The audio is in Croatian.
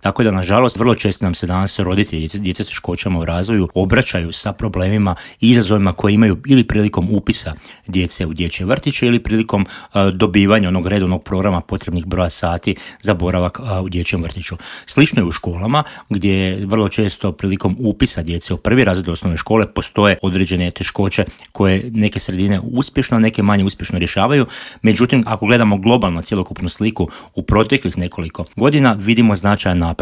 Tako da, nažalost, vrlo često nam se danas roditelji djece s teškoćama u razvoju obraćaju sa problemima i izazovima koje imaju ili prilikom upisa djece u dječje vrtiće ili prilikom dobivanja onog redovnog programa potrebnih broja sati za boravak u dječjem vrtiću. Slično je u školama, gdje vrlo često prilikom upisa djece u prvi razred osnovne škole postoje određene teškoće koje neke sredine uspješno, neke manje uspješno rješavaju. Međutim, ako gledamo globalno cjelokupnu sliku u proteklih nekoliko godina, vidimo značajan napredak.